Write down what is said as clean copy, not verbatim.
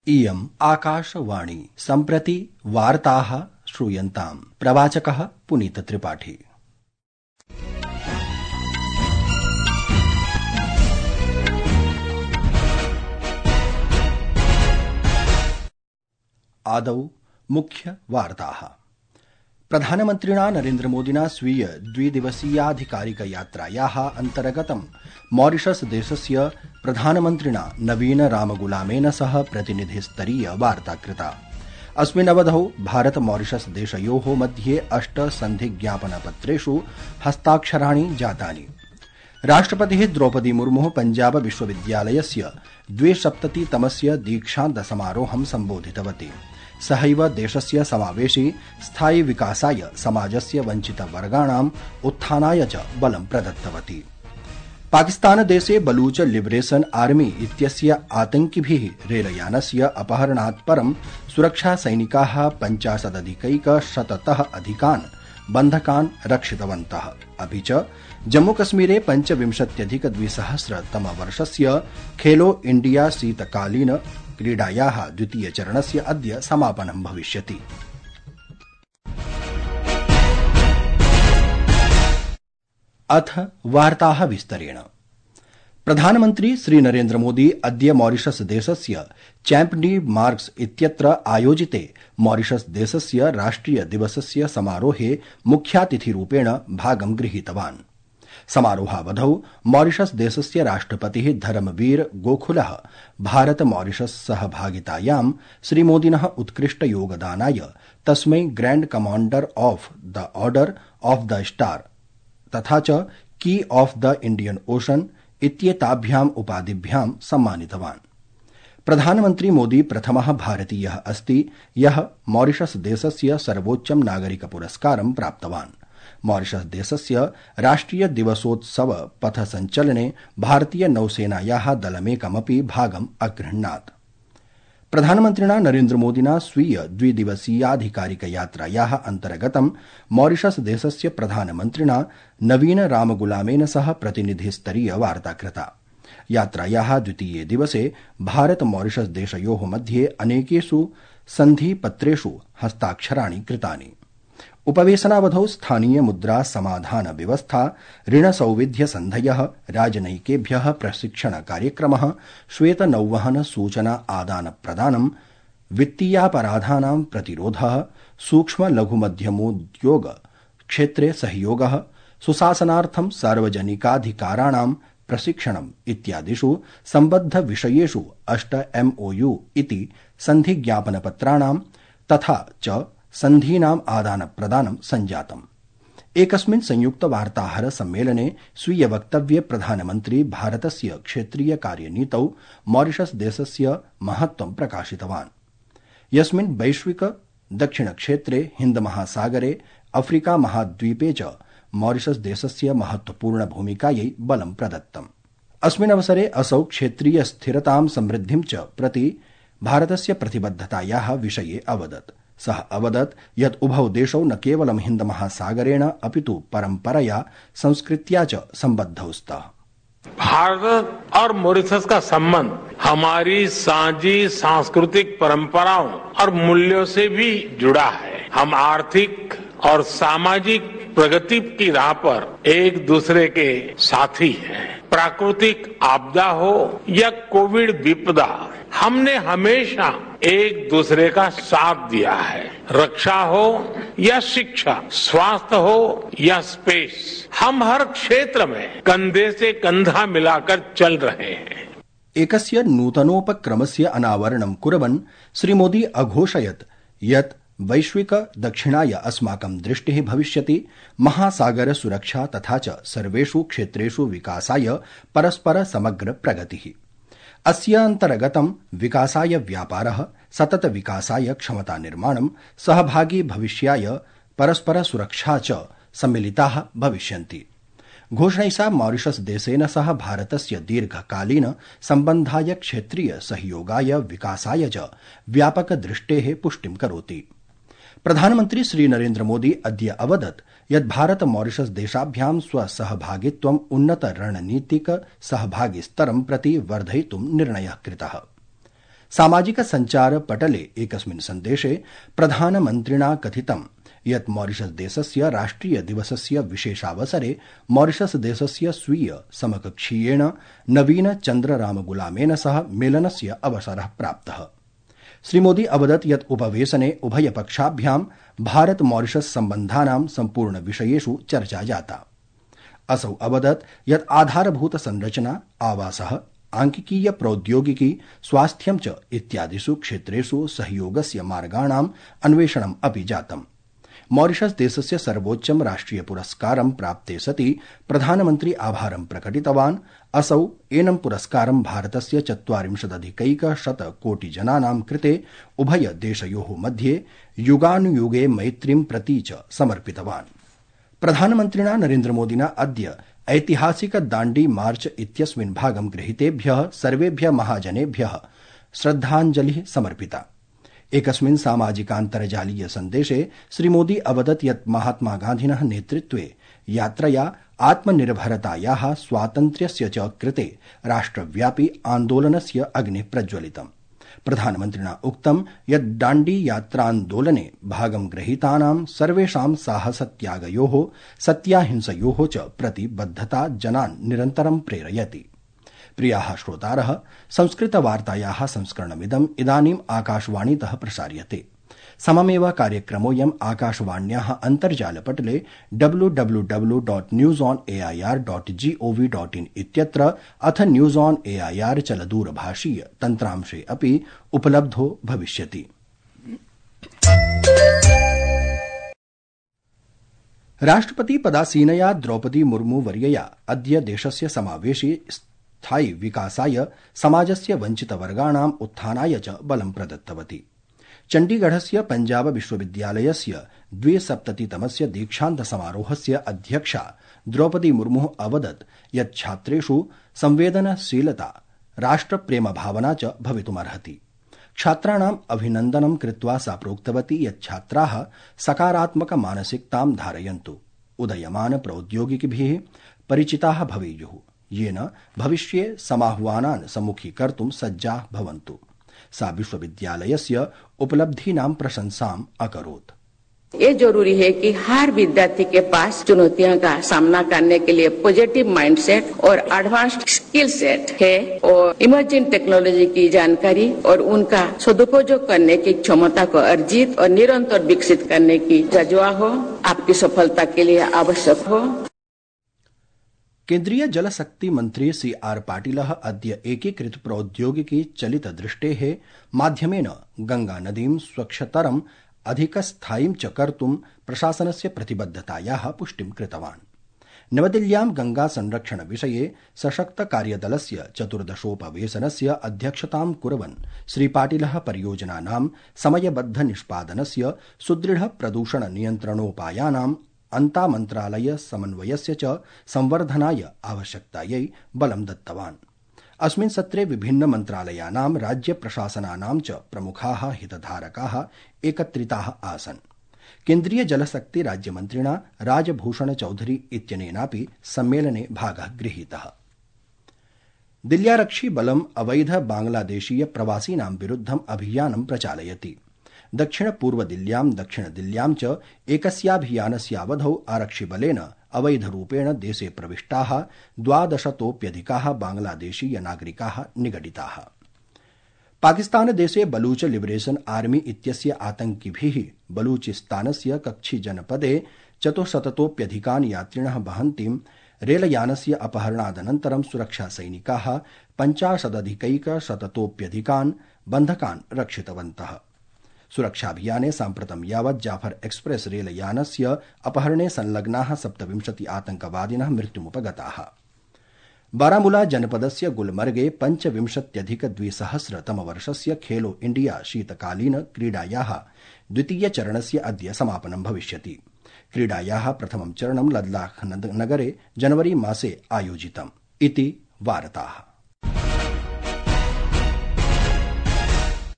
इयम् आकाशवाणी। सम्प्रति वार्ताः श्रूयन्ताम्। प्रवाचकः पुनीत त्रिपाठी। आदौ मुख्य वार्ताः। प्रधानमन्त्रिणा नरेन्द्रमोदिना स्वीय द्विदिवसीयाधिकारिक यात्रायाः अन्तर्गतं मॉरिशस देशस्य प्रधानमन्त्रिणा नवीन रामगुलामेन सह प्रतिनिधिस्तरीय वार्ता कृता। अस्मिन् अवधौ भारत मॉरिशस देशयोः मध्ये 8 सन्धिज्ञापनपत्रेषु हस्ताक्षराणि जातानि। राष्ट्रपतिः द्रौपदी मुर्मुः पञ्जाब विश्वविद्यालयस्य 270तमस्य दीक्षान्त समारोहं सम्बोधितवती। सहैव देशस्य समावेशि स्थायि विकासाय समाजस्य वञ्चितवर्गाणाम् उत्थानाय च बलं प्रदत्तवती। पाकिस्तानदेशे बलूच लिबरेशन आर्मी इत्यस्य आतंकिभिः रेलयानस्य अपहरणात् परं सुरक्षासैनिकाः 50,100तः अधिकान् बन्धकान् रक्षितवन्तः। अपि च जम्मूकश्मीरे 25,200तमवर्षस्य खेलो इण्डिया शीतकालीन क्रीडायाः द्वितीयचरणस्य अद्य समापनं भविष्यति। अथ वार्ताः विस्तरेण। प्रधानमन्त्री श्रीनरेन्द्रमोदी अद्य मॉरिशस देशस्य चैम्प डी मार्क्स इत्यत्र आयोजिते मॉरिशस देशस्य राष्ट्रिय दिवसस्य समारोहे मुख्यातिथिरूपेण भागं गृहीतवान्। समारोहावधौ मॉरिशस देशस्य राष्ट्रपतिः धर्मवीर गोखुलः भारत मॉरिशस सहभागितायां श्रीमोदिनः उत्कृष्ट योगदानाय तस्मै grand commander of the order of the star तथा च की ऑफ द इंडियन ओशन इत्येताभ्याम् उपाधिभ्यां सम्मानितवान्। प्रधानमन्त्री मोदी प्रथमः भारतीयः अस्ति यः मॉरिशस देशस्य सर्वोच्चं नागरिक पुरस्कारं प्राप्तवान्। मॉरिशस देशस्य राष्ट्रिय दिवसोत्सव पथसञ्चलने भारतीय नौसेनायाः दलमेकमपि भागम् अगृह्णात्। प्रधानमन्त्रिणा नरेन्द्रमोदिना स्वीय द्विदिवसीयाधिकारिक यात्रायाः अन्तर्गतं मॉरिशस देशस्य प्रधानमन्त्रिणा नवीन रामगुलामेन सह प्रतिनिधिस्तरीय वार्ता कृता। यात्रायाः द्वितीये दिवसे भारत मॉरिशस देशयोः मध्ये अनेकेषु सन्धिपत्रेषु हस्ताक्षराणि कृतानि। उपवेशनावधौ स्थानीय मुद्रा समाधान व्यवस्था, ऋण सौविध्य सन्धयः, राजनयिकेभ्यः प्रशिक्षण कार्यक्रमः, श्वेत नौवहन सूचना आदान प्रदानं, वित्तीयापराधानां प्रतिरोधः, सूक्ष्म लघु मध्यमोद्योग क्षेत्रे सहयोगः, सुशासनार्थं सार्वजनिकाधिकाराणां प्रशिक्षणम् इत्यादिषु सम्बद्ध विषयेषु 8 MOU इति सन्धिज्ञापनपत्राणां तथा च सन्धीनाम् आदान प्रदानं सञ्जातम्। एकस्मिन् संयुक्त वार्ताहर सम्मेलने स्वीय वक्तव्ये प्रधानमन्त्री भारतस्य क्षेत्रीय कार्यनीतौ मॉरिशस देशस्य महत्त्वं प्रकाशितवान्, यस्मिन् वैश्विक दक्षिणक्षेत्रे हिन्दमहासागरे अफ्रीका महाद्वीपे च मॉरिशस देशस्य महत्वपूर्ण भूमिकायै बलं प्रदत्तम्। अस्मिन् अवसरे असौ क्षेत्रीय स्थिरतां समृद्धिं च प्रति भारतस्य प्रतिबद्धतायाः विषये अवदत्। सः अवदत् यत् उभौ देशौ न केवलं हिन्दमहासागरेण अपितु परम्परया संस्कृत्या च सम्बद्धौ स्तः। भारत और मॉरिशस का संबंध हमारी साझी सांस्कृतिक परंपराओं और मूल्यों से भी जुड़ा है। हम आर्थिक और सामाजिक प्रगति की राह पर एक दूसरे के साथी हैं। प्राकृतिक आपदा हो या कोविड विपदा, हमने हमेशा एक दूसरे का साथ दिया है। रक्षा हो या शिक्षा, स्वास्थ्य हो या स्पेस, हम हर क्षेत्र में कंधे से कंधा मिलाकर चल रहे हैं। एकस्य नूतनोपक्रमस्य अनावरणं कुर्वन् श्रीमोदी अघोषयत् यत् वैश्विक दक्षिणाय अस्माकं दृष्टिः भविष्यति। महासागर सुरक्षा तथा च सर्वेषु क्षेत्रेषु विकासाय परस्पर समग्र प्रगतिः। अस्य अन्तर्गतं विकासाय व्यापारः, सतत विकासाय क्षमता निर्माणं, सहभागी भविष्याय परस्पर सुरक्षा च सम्मिलिताः भविष्यन्ति। घोषणैषा मॉरिशस देशेन सह भारतस्य दीर्घकालीन सम्बन्धाय, क्षेत्रीय सहयोगाय, विकासाय च व्यापक दृष्टेः पुष्टिं करोति। प्रधानमन्त्री श्रीनरेन्द्र मोदी अद्य अवदत् यत् भारत मॉरिशस देशाभ्यां स्वसहभागित्वम् उन्नत रणनीतिक सहभागिस्तरं प्रति वर्धयितुं निर्णयः कृतः। सामाजिक संचार पटले एकस्मिन् सन्देशे प्रधानमन्त्रिणा कथितं यत् मॉरिशस देशस्य राष्ट्रिय दिवसस्य विशेषावसरे मॉरिशस देशस्य स्वीय समकक्षीयेण नवीन चन्द्ररामगुलामेन सह मेलनस्य अवसरः प्राप्तः। श्रीमोदी अवदत् यत् उपवेशने उभयपक्षाभ्यां भारत मॉरिशस सम्बन्धानां सम्पूर्ण विषयेषु चर्चा जाता। असौ अवदत् यत् आधारभूत संरचना, आवासः, आंकिकीय प्रौद्योगिकी, स्वास्थ्यं च इत्यादिषु क्षेत्रेषु सहयोगस्य मार्गाणां अन्वेषणम् अपि जातम्। मॉरिशस देशस्य सर्वोच्चं राष्ट्रिय पुरस्कारं प्राप्ते सति प्रधानमन्त्री आभारं प्रकटितवान्। असौ एनं पुरस्कारं भारतस्य 40,000 कोटि जनानां कृते उभय देशयोः मध्ये युगानुयुगे मैत्रीं प्रति च समर्पितवान्। प्रधानमन्त्रिणा नरेन्द्रमोदिना अद्य ऐतिहासिक दाण्डी मार्च इत्यस्मिन् भागं गृहीतेभ्यः सर्वेभ्यः महाजनेभ्यः श्रद्धाञ्जलिः समर्पिता। एकस्मिन् सामाजिकान्तर्जालीय सन्देशे श्रीमोदी अवदत् यत् महात्मा गान्धिनः नेतृत्वे यात्रया आत्मनिर्भरतायाः, स्वातन्त्र्यस्य च कृते राष्ट्रव्यापी आन्दोलनस्य अग्निः प्रज्वलितम्। प्रधानमन्त्रिणा उक्तं यत् दाण्डी यात्रान्दोलने भागं गृहीतानां सर्वेषां साहसत्यागयोः, सत्याहिंसयोः च प्रतिबद्धता जनान् निरन्तरं प्रेरयति। प्रियाः श्रोतारः, संस्कृतवार्तायाः संस्करणमिदम् इदानीम् आकाशवाणीतः प्रसार्यते। सममेव कार्यक्रमोऽयम् आकाशवाण्याः अन्तर्जालपटले www.newsonair.gov.in इत्यत्र अथ न्यूज ऑन एआईआर चलदूरभाषीय तन्त्रांशे अपि उपलब्धो भविष्यति। राष्ट्रपति पदासीनया द्रौपदी मुर्मू वर्यया अद्य देशस्य समावेशि स्थायि विकासाय, समाजस्य वञ्चितवर्गाणाम् उत्थानाय च बलं प्रदत्तवती। चण्डीगढस्य पञ्जाब विश्वविद्यालयस्य 270तमस्य दीक्षान्त समारोहस्य अध्यक्षा द्रौपदी मुर्मुः अवदत् यत् छात्रेषु संवेदनशीलता, राष्ट्रप्रेमभावना च भवितुमर्हति। छात्राणाम् अभिनन्दनं कृत्वा सा प्रोक्तवती यत् छात्राः सकारात्मक मानसिकतां धारयन्तु, उदयमान प्रौद्योगिकीभिः परिचिताः भवेयुः, येन भविष्ये समाह्वानान् सम्मुखीकर्तुं सज्जाः भवन्तु। सा विश्वविद्यालयस्य उपलब्धीनां प्रशंसाम् अकरोत्। ये जरूरी है कि हर विद्यार्थी के पास चुनौतियों का सामना करने के लिए पॉजिटिव माइंडसेट और एडवांस्ड स्किल सेट है और इमर्जिंग टेक्नोलॉजी की जानकारी और उनका सदुपयोग करने की क्षमता को अर्जित और निरंतर विकसित करने की जज्बा हो, आपकी सफलता के लिए आवश्यक हो। केन्द्रीय जलशक्ति मंत्री CR पाटिलः अद्य एकीकृत प्रौद्योगिकी चलित दृष्टेः माध्यमेन गंगा नदीं स्वच्छतरम् अधिकस्थायीं च कर्तुं प्रशासनस्य प्रतिबद्धतायाः पुष्टिं कृतवान्। नवदिल्ल्यां गंगा संरक्षण विषये सशक्त कार्यदलस्य 14थोपवेशनस्य अध्यक्षतां कुर्वन् श्रीपाटिलः परियोजनानां समयबद्ध निष्पादनस्य, सुदृढ प्रदूषण नियन्त्रणोपायानाम् अन्तामन्त्रालय समन्वयस्य च संवर्धनाय आवश्यकतायै बलं दत्तवान्। अस्मिन् सत्रे विभिन्न मन्त्रालयानां, राज्य प्रशासनानां च प्रमुखाः हितधारकाः एकत्रिताः आसन्। केन्द्रीय जलशक्ति राज्यमन्त्रिणा राजभूषण चौधरी इत्यनेनापि सम्मेलने भागः गृहीतः। दिल्ल्यारक्षि बलम् अवैध बांग्लादेशीय प्रवासिनां विरुद्धम् अभियानं प्रचालयति। दक्षिण पूर्व दिल्ल्यां, दक्षिण दिल्ल्यां च एकस्याभियानस्यावधौ आरक्षिबलेन अवैधरूपेण देशे प्रविष्टाः 1200तोऽप्यधिकाः बांग्लादेशीय नागरिकाः निगडिताः। पाकिस्तानदेशे बलूच लिबरेशन आर्मी इत्यस्य आतंकिभिः बलूचिस्तानस्य कच्छी जनपदे 400तोऽप्यधिकान् यात्रिणः वहन्तीं रेलयानस्य अपहरणादनन्तरं सुरक्षासैनिकाः 50,100तोऽप्यधिकान् बन्धकान् रक्षितवन्तः। सुरक्षाभियाने साम्प्रतं यावत् जाफर एक्सप्रेस रेलयानस्य अपहरणे संलग्नाः 27 आतंकवादिनः मृत्युमुपगताः। बारामूला जनपदस्य गुलमर्गे 25,200तमवर्षस्य खेलो इंडिया शीतकालीन क्रीडायाः द्वितीयचरणस्य अद्य समापनं भविष्यति। क्रीडायाः प्रथमं चरणं लद्दाख नगरे जनवरी मासे आयोजितम् इति वार्ताः।